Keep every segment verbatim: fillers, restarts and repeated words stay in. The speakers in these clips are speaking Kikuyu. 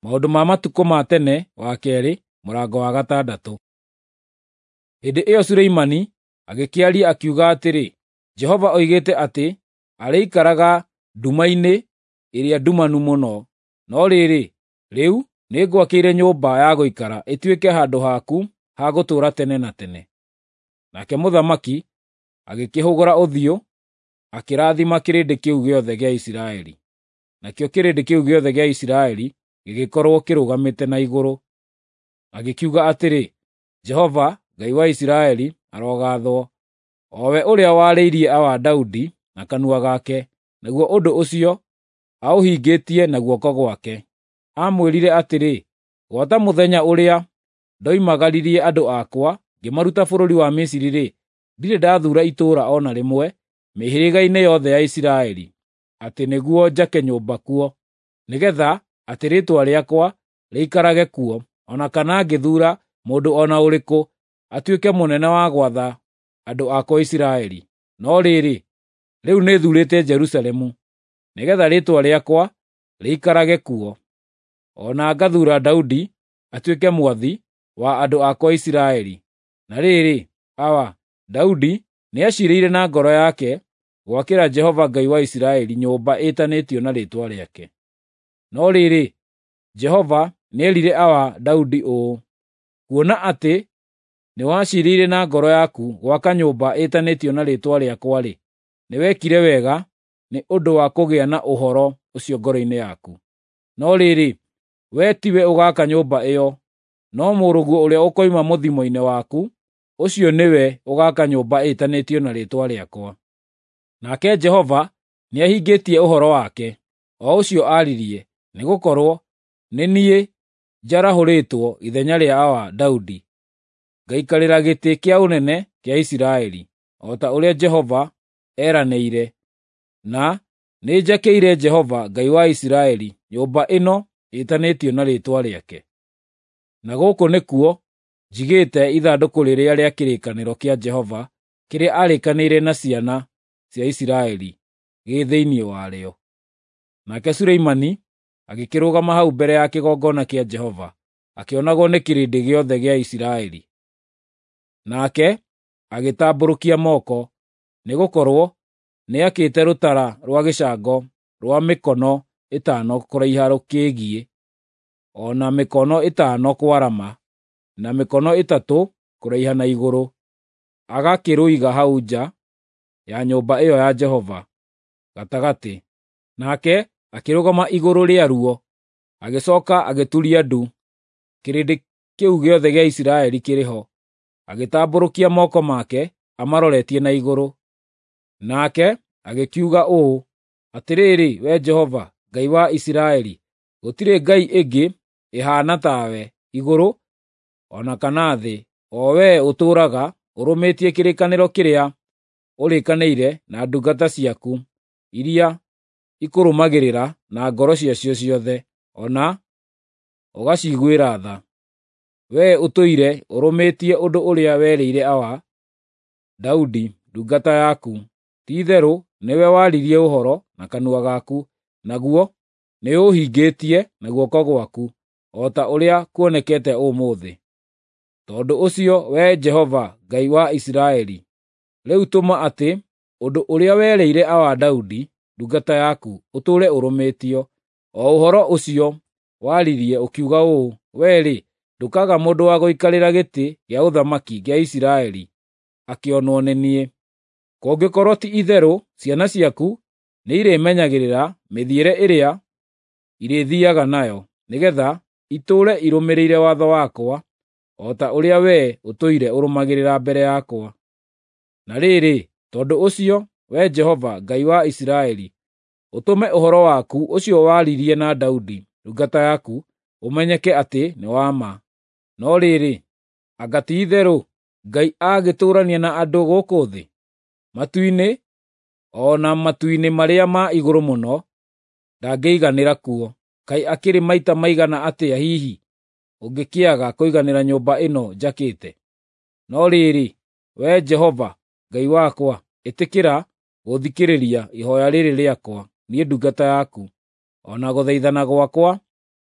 Maũndũ ma Matukũ ma Tene wa keerĩ mũrango wa gatandatũ. Hĩndĩ ĩyo Suleimani agĩkĩaria akiuga atĩrĩ, Jehova oigĩte atĩ arĩikaraga nduma-inĩ ĩrĩa ndumanu mũno. No rĩrĩ, rĩu nĩngwakĩire nyũmba ya gũikara ĩtuĩke handũ haku ha gũtũũra tene na tene. Nake mũthamaki agĩkĩhũgũra ũthiũ akĩrathima kĩrĩndĩ kĩu gĩothe gĩa Isiraeli. Nakĩo kĩrĩndĩ kĩu gĩothe gĩa Isiraeli gĩgĩkorwo kĩrũgamĩte na igũrũ. Agĩkiuga atĩrĩ, Jehova, Ngai wa Isiraeli, arogathwo, o we ũrĩa warĩirie awa Daudi na kanua gake, naguo ũndũ ũcio aũhingĩtie na guoko gwake. Aamwĩrire atĩrĩ, “Gwata mũthenya ũrĩa ndoimagaririe andũ akwa ngĩmaruta bũrũri wa Misiri-rĩ, ndirĩ ndathuura itũũra o na rĩmwe mĩhĩrĩga-inĩ yothe ya Isiraeli, atĩ nĩguo njake nyũmba kuo, nĩgeetha atĩ rĩĩtwa rĩakwa rĩikarage kuo, o na kana ngĩthuura mũndũ o na ũrĩkũ atuĩke mũnene wa gwatha andũ akwa Isiraeli. No rĩrĩ, rĩu nĩthuurĩte Jerusalemu, nĩgeetha rĩĩtwa rĩakwa rĩikarage kuo, o na ngathuura Daudi atuĩke mwathi wa andũ akwa Isiraeli. Na rĩrĩ, awa, Daudi nĩaciirĩire na ngoro yake gwakĩra Jehova Ngai wa Isiraeli nyũmba ĩtanĩtio na rĩĩtwa rĩake. No rĩrĩ, Jehova nĩerire awa Daudi ũũ, ‘Kuona atĩ nĩwaciirĩire na ngoro yaku gwaka nyũmba ĩtanĩtio na rĩĩtwa rĩakwa-rĩ, nĩwekire wega nĩ ũndũ wa kũgĩa na ũhoro ũcio ngoro-inĩ yaku. No rĩrĩ, wee tiwe ũgaaka nyũmba ĩyo, no mũrũguo ũrĩa ũkoima mũthimo-inĩ waku, ũcio nĩwe ũgaaka nyũmba ĩtanĩtio na rĩĩtwa rĩakwa.’ Nake Jehova nĩahingĩtie ũhoro wake, o ũcio aaririe, nĩgũkorwo nĩ niĩ njarahũrĩtwo ithenya rĩa awa Daudi, ngaikarĩra gĩtĩ kĩa ũnene kĩa Isiraeli, o ta ũrĩa Jehova eeranĩire, na nĩnjakĩire Jehova Ngai wa Isiraeli nyũmba ĩno ĩtanĩtio na rĩĩtwa rĩake. Na gũkũ nĩkuo njigĩte ithandũkũ rĩrĩa rĩa kĩrĩkanĩro kĩa Jehova kĩrĩa aarĩkanĩire na ciana cia Isiraeli gĩ thĩinĩ warĩo.” Nake Suleimani agĩkĩrũgama hau mbere ya kĩgongona kĩa Jehova, akĩonagwo nĩ kĩrĩndĩ gĩothe gĩa Isiraeli. Nake agĩtambũrũkia moko, nĩgũkorwo nĩakĩte rũtara rwa gĩcango rwa mĩkono ĩtano kũraiha rũkĩgiĩ, o na mĩkono ĩtano kwarama, na mĩkono ĩtatũ kũraiha na igũrũ, agakĩrũiga hau nja ya nyũmba ĩyo ya Jehova gatagatĩ. Nake akĩrũgama igũrũ rĩaruo, agĩcooka agĩturia ndu, kĩrĩndĩ kĩu gĩothe gĩa Isiraeli kĩrĩ ho, agĩtambũrũkia moko make amaroretie na igũrũ. Nake agĩkiuga ũũ, “Atĩrĩrĩ, Wee Jehova, Ngai wa Isiraeli, gũtirĩ ngai ĩngĩ ĩhaana tawe igũrũ o na kana thĩ, o wee ũtũũraga ũrũmĩtie kĩrĩkanĩro kĩrĩa ũrĩkanĩire na ndungata ciaku iria ikũrũmagĩrĩra na ngoro ciacio ciothe, o na ũgaciguĩra tha. Wee ũtũire ũrũmĩtie ũndũ ũrĩa werĩire awa Daudi ndungata yaku. Ti-itherũ nĩwe waririe ũhoro na kanua gaku, naguo nĩũũhingĩtie na guoko gwaku, o ta ũrĩa kuonekete ũmũthĩ. Tondũ ũcio, Wee Jehova Ngai wa Isiraeli, rĩu tũma atĩ ũndũ ũrĩa werĩire awa Daudi ndungata yaku ũtũũre ũrũmĩtio, o ũhoro ũcio waririe ũkiuga ũũ, ‘Wee-rĩ, ndũkaaga mũndũ wa gũikarĩra gĩtĩ gĩa ũthamaki gĩa Isiraeli akĩonwo nĩ niĩ. Kũngĩkorwo ti-itherũ ciana ciaku nĩirĩmenyagĩrĩra mĩthiĩre ĩrĩa irĩthiiaga nayo, nĩgeetha itũũre irũmĩrĩire watho wakwa, o ta ũrĩa wee ũtũire ũrũmagĩrĩra mbere yakwa.’ Na rĩrĩ, tondũ ũcio, Wee Jehova, Ngai wa Isiraeli, ũtũme ũhoro waku ũcio waririe na Daudi ndungata yaku ũmenyeke atĩ nĩ wa ma. No rĩrĩ, anga ti-itherũ Ngai agĩtũũrania na andũ gũkũ thĩ? Matu-inĩ, o na matu-inĩ marĩa ma igũrũ mũno, ndangĩiganĩra kuo. Kaĩ akĩrĩ maita maigana atĩa hihi ũngĩkĩaga kũiganĩra nyũmba ĩno njakĩte? No rĩrĩ, Wee Jehova Ngai wakwa, ĩtĩkĩra gũthikĩrĩria ihooya rĩrĩ rĩakwa, niĩ ndungata yaku, o na gũthaithana gwakwa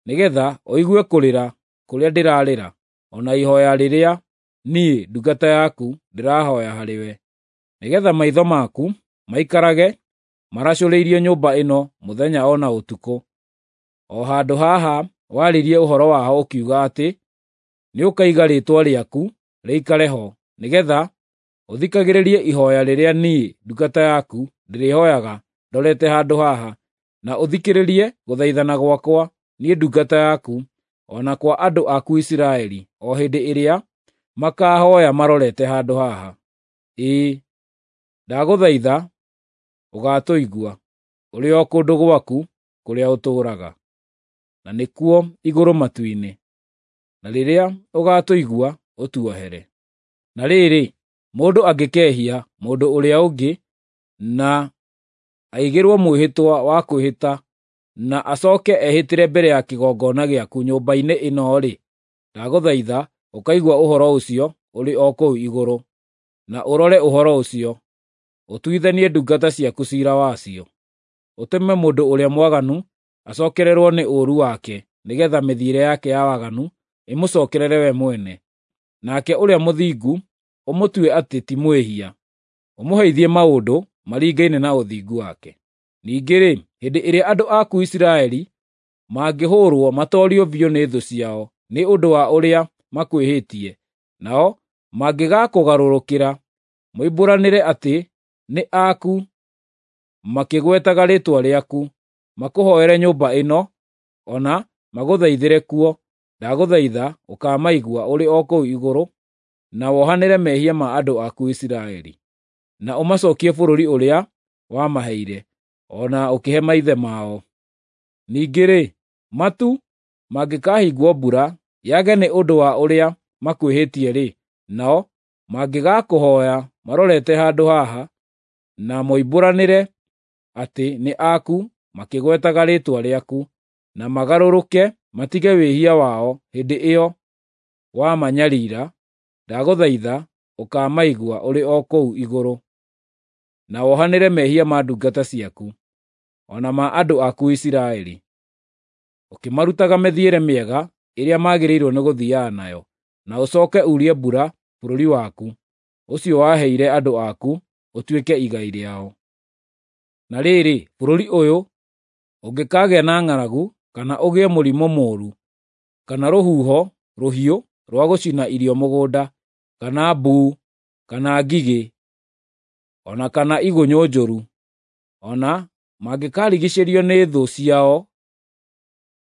nĩgeetha ũigue kũrĩra kũrĩa ndĩrarĩra, o na ihooya rĩrĩa niĩ ndungata yaku ndĩrahooya harĩwe, nĩgeetha maitho maku maikarage maracũrĩirie nyũmba ĩno mũthenya o na ũtukũ, o handũ haha waririe ũhoro waho ũkiuga atĩ nĩũkaiga Rĩĩtwa rĩaku rĩikare ho, nĩgeetha ũthikagĩrĩrie ihooya rĩrĩa niĩ ndungata yaku ndĩrĩhooyaga ndorete handũ haha, na ũthikĩrĩrie gũthaithana gwakwa niĩ ndungata yaku, o na kwa andũ aku Isiraeli, o hĩndĩ ĩrĩa makaahooya marorete handũ haha. Ĩĩ, ndagũthaitha ũgaatũigua ũrĩ o kũndũ gwaku kũrĩa ũtũũraga, na nĩkuo igũrũ matu-inĩ. Na rĩrĩa ũgaatũigua, ũtuohere. Na rĩrĩ, mũndũ angĩkehia mũndũ ũrĩa ũngĩ na aigĩrwo mwĩhĩtwa wa kwĩhĩta na acooke ehĩtĩre mbere ya kĩgongona gĩaku nyũmba-inĩ ĩno-rĩ, ndagũthaitha ũkaigua ũhoro ũcio ũrĩ o kũu igũrũ, na ũrore ũhoro ũcio, ũtuithanie ndungata ciaku ciira wacio. Ũtũme mũndũ ũrĩa mwaganu acookererwo nĩ ũũru wake, nĩgeetha mĩthiĩre yake ya waganu ĩmũcookerere we mwene, nake ũrĩa mũthingu ũmũtue atĩ ti mwĩhia, ũmũheithie maũndũ maringaine na ũthingu wake. Ningĩ-rĩ, hĩndĩ ĩrĩa andũ aku Isiraeli mangĩhũũrwo matoorio biũ nĩ thũ ciao nĩ ũndũ wa ũrĩa makwĩhĩtie, nao mangĩgaakũgarũrũkĩra moimbũranĩre atĩ nĩ aku makĩgwetaga rĩĩtwa rĩaku, makũhooere nyũmba ĩno, o na magũthaithĩre kuo, ndagũthaitha ũkaamaigua ũrĩ o kũu igũrũ, na wohanĩre mehia ma andũ aku Isiraeli, na ũmacookie bũrũri ũrĩa wamaheire, o na ũkĩhe maithe mao. Ningĩ-rĩ, matu mangĩkahingwo mbura yage nĩ ũndũ wa ũrĩa makwĩhĩtie-rĩ, nao mangĩgaakũhooya marorete handũ haha, na moimbũranĩre atĩ nĩ aku makĩgwetaga rĩĩtwa rĩaku, na magarũrũke matige wĩhia wao hĩndĩ ĩyo wamanyariira, ndagũthaitha ũkaamaigua ũrĩ o kũu igũrũ, na wohanĩre mehia ma ndungata ciaku, o na ma andũ aku Isiraeli, ũkĩmarutaga mĩthiĩre mĩega ĩrĩa magĩrĩirwo nĩgũthiiaga nayo, na ũcooke uurie mbura bũrũri waku, ũcio waheire andũ aku ũtuĩke igai rĩao. Na rĩrĩ, bũrũri ũyũ ũngĩkaagĩa na ng'aragu, kana ũgĩe mũrimũ mũũru, kana rũhuho rũhiũ rwa gũcina irio mũgũnda, kana mbuu, kana ngigĩ, o na kana igunyũ njũru, o na mangĩkarigiicĩrio nĩ thũ ciao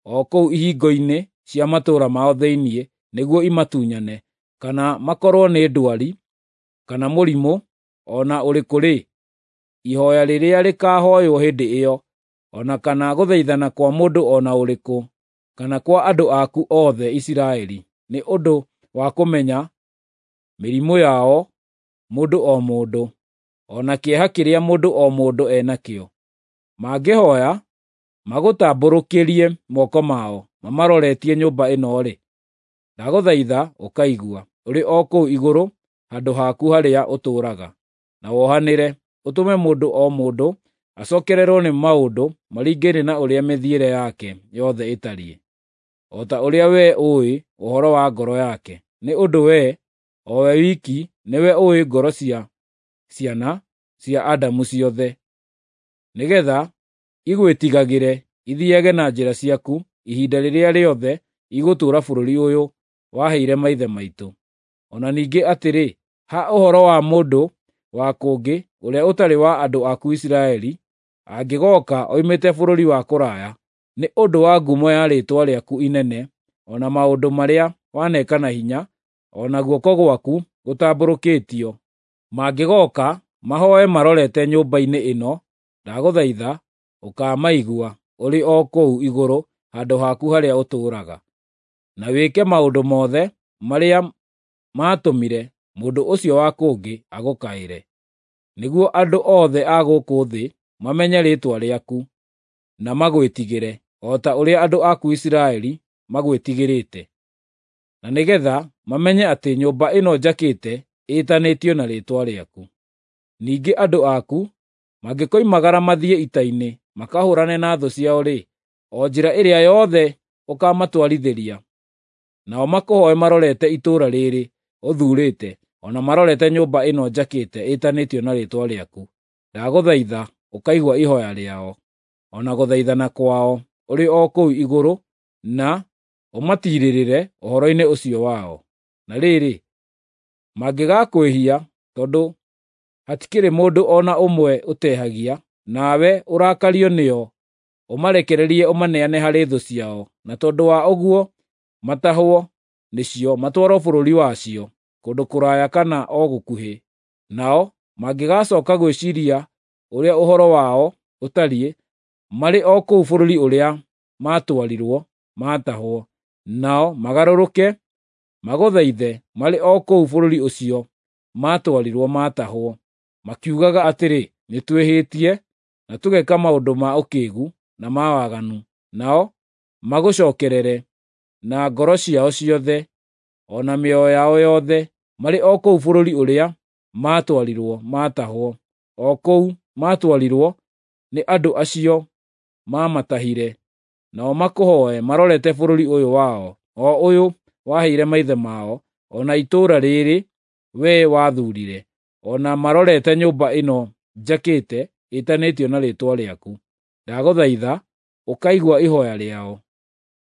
o kũu ihingo-inĩ cia matũũra mao thĩinĩ nĩguo imatunyane, kana makorwo nĩ ndwari, kana mũrimũ o na ũrĩkũ-rĩ, ihooya rĩrĩa rĩkaahooywo hĩndĩ ĩyo, o na kana gũthaithana kwa mũndũ o na ũrĩkũ, kana kwa andũ aku othe Isiraeli, nĩ ũndũ wa kũmenya mĩrimũ yao mũndũ o mũndũ, o na kĩeha kĩrĩa mũndũ o mũndũ e nakĩo. Mangĩhooya magũtambũrũkĩrie moko mao mamaroretie nyũmba ĩno-rĩ, ndagũthaitha ũkaigua ũrĩ o kũu igũrũ handũ haku harĩa ũtũũraga, na wohanĩre, ũtũme mũndũ o mũndũ acookererwo nĩ maũndũ maringaine na ũrĩa mĩthiĩre yake yothe ĩtariĩ, o ta ũrĩa wee ũũĩ ũhoro wa ngoro yake, nĩ ũndũ wee, o we wiki, nĩwe ũũĩ ngoro cia ciana cia Adamu ciothe, nĩgeetha igwĩtigagĩre ithiiage na njĩra ciaku ihinda rĩrĩa rĩothe igũtũũra bũrũri ũyũ waheire maithe maitũ. O na ningĩ atĩrĩ, ha ũhoro wa mũndũ wa kũngĩ ũrĩa ũtarĩ wa andũ aku Isiraeli, angĩgooka oimĩte bũrũri wa kũraya, nĩ ũndũ wa ngumo ya rĩĩtwa rĩaku inene, o na maũndũ marĩa waneka na hinya, o na guoko gwaku gũtambũrũkĩtio, mangĩgooka mahooe marorete nyũmba-inĩ ĩno, ndagũthaitha ũkaamaigua ũrĩ o kũu igũrũ handũ haku harĩa ũtũũraga, na wĩke maũndũ mothe marĩa maatũmire mũndũ ũcio wa kũngĩ agũkaĩre, nĩguo andũ othe a gũkũ thĩ mamenye rĩĩtwa rĩaku na magwĩtigĩre, o ta ũrĩa andũ aku Isiraeli magwĩtigĩrĩte, na nĩgeetha mamenye atĩ nyũmba ĩno njakĩte ĩĩtanĩtio na Rĩĩtwa rĩaku. Ningĩ andũ aku mangĩkoimagara mathiĩ ita-inĩ makahũũrane na thũ ciao-rĩ, o njĩra ĩrĩa yothe ũkaamatwarithĩria, nao makũhooe marorete itũũra rĩĩrĩ ũthuurĩte, o na marorete nyũmba ĩno njakĩte ĩtanĩtio na Rĩĩtwa rĩaku, ndagũthaitha ũkaigua ihooya rĩao, o na gũthaithana kwao ũrĩ o kũu igũrũ, na ũmatiirĩrĩre ũhoro-inĩ ũcio wao. Na rĩrĩ, mangĩgakwĩhia, tondũ hatikĩrĩ mũndũ o na ũmwe ũtehagia, nawe ũrakario nĩo, ũmarekererie ũmaneane harĩ thũ ciao, na tondũ wa ũguo matahwo nĩcio matwarwo bũrũri wacio, kũndũ kũraya kana o gũkuhĩ. Nao mangĩgacooka gwĩciiria ũrĩa ũhoro wao ũtariĩ, marĩ o kũu bũrũri ũrĩa maatwarirwo maatahwo, nao magarũrũke magũthaithe marĩ o kũu bũrũri ũcio maatwarirwo maatahwo, makiugaga atĩrĩ, ‘Nĩtwĩhĩtie na tũgeka maũndũ ma ũkĩĩgu na ma waganu,’ nao magũcookerere na ngoro ciao ciothe o na mĩoyo yao yothe, marĩ o kũu bũrũri ũrĩa maatwarirwo maatahwo, o kũu maatwarirwo nĩ andũ acio maamatahire, nao makũhooe marorete bũrũri ũyũ wao, o ũyũ waheire maithe mao, o na itũũra rĩĩrĩ wee wathuurire, o na marorete nyũmba ĩno njakĩte ĩtanĩtio na Rĩĩtwa rĩaku. Ndagũthaitha ũkaigua ihooya rĩao,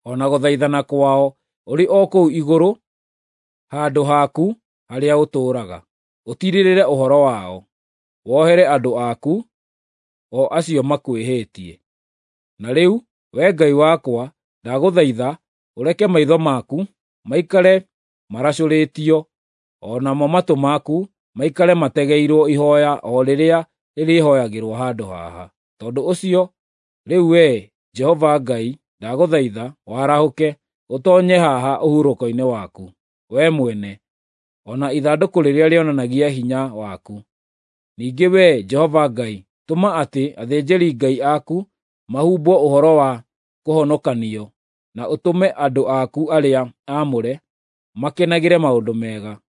o na gũthaithana kwao ũrĩ o kũu igũrũ handũ haku harĩa ũtũũraga. Ũtiirĩrĩre ũhoro wao, wohere andũ aku, o acio makwĩhĩtie. Na rĩu, Wee Ngai wakwa, ndagũthaitha ũreke maitho maku maikare maracũrĩtio, o namo matũ maku maikare mategeirwo ihooya o rĩrĩa rĩrĩhooyagĩrwo handũ haha. Tondũ ũcio, rĩu Wee, Jehova Ngai, ndagũthaitha warahũke, ũtoonye haha ũhurũko-inĩ waku, wee mwene, o na ithandũkũ rĩrĩa rĩonanagia hinya waku. Ningĩ Wee, Jehova Ngai, tũma atĩ athĩnjĩri-Ngai aku mahumbwo ũhoro wa kũhonokanio, na ũtũme andũ aku arĩa aamũre makenagĩre maũndũ mega.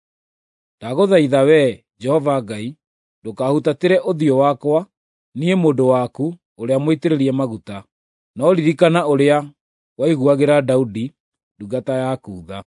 Ndagũthaitha Wee, Jehova Ngai, ndũkahutatĩre ũthiũ wakwa, niĩ mũndũ waku ũrĩa mũitĩrĩrie maguta, no ririkana ũrĩa waiguagĩra Daudi ndungata yaku tha.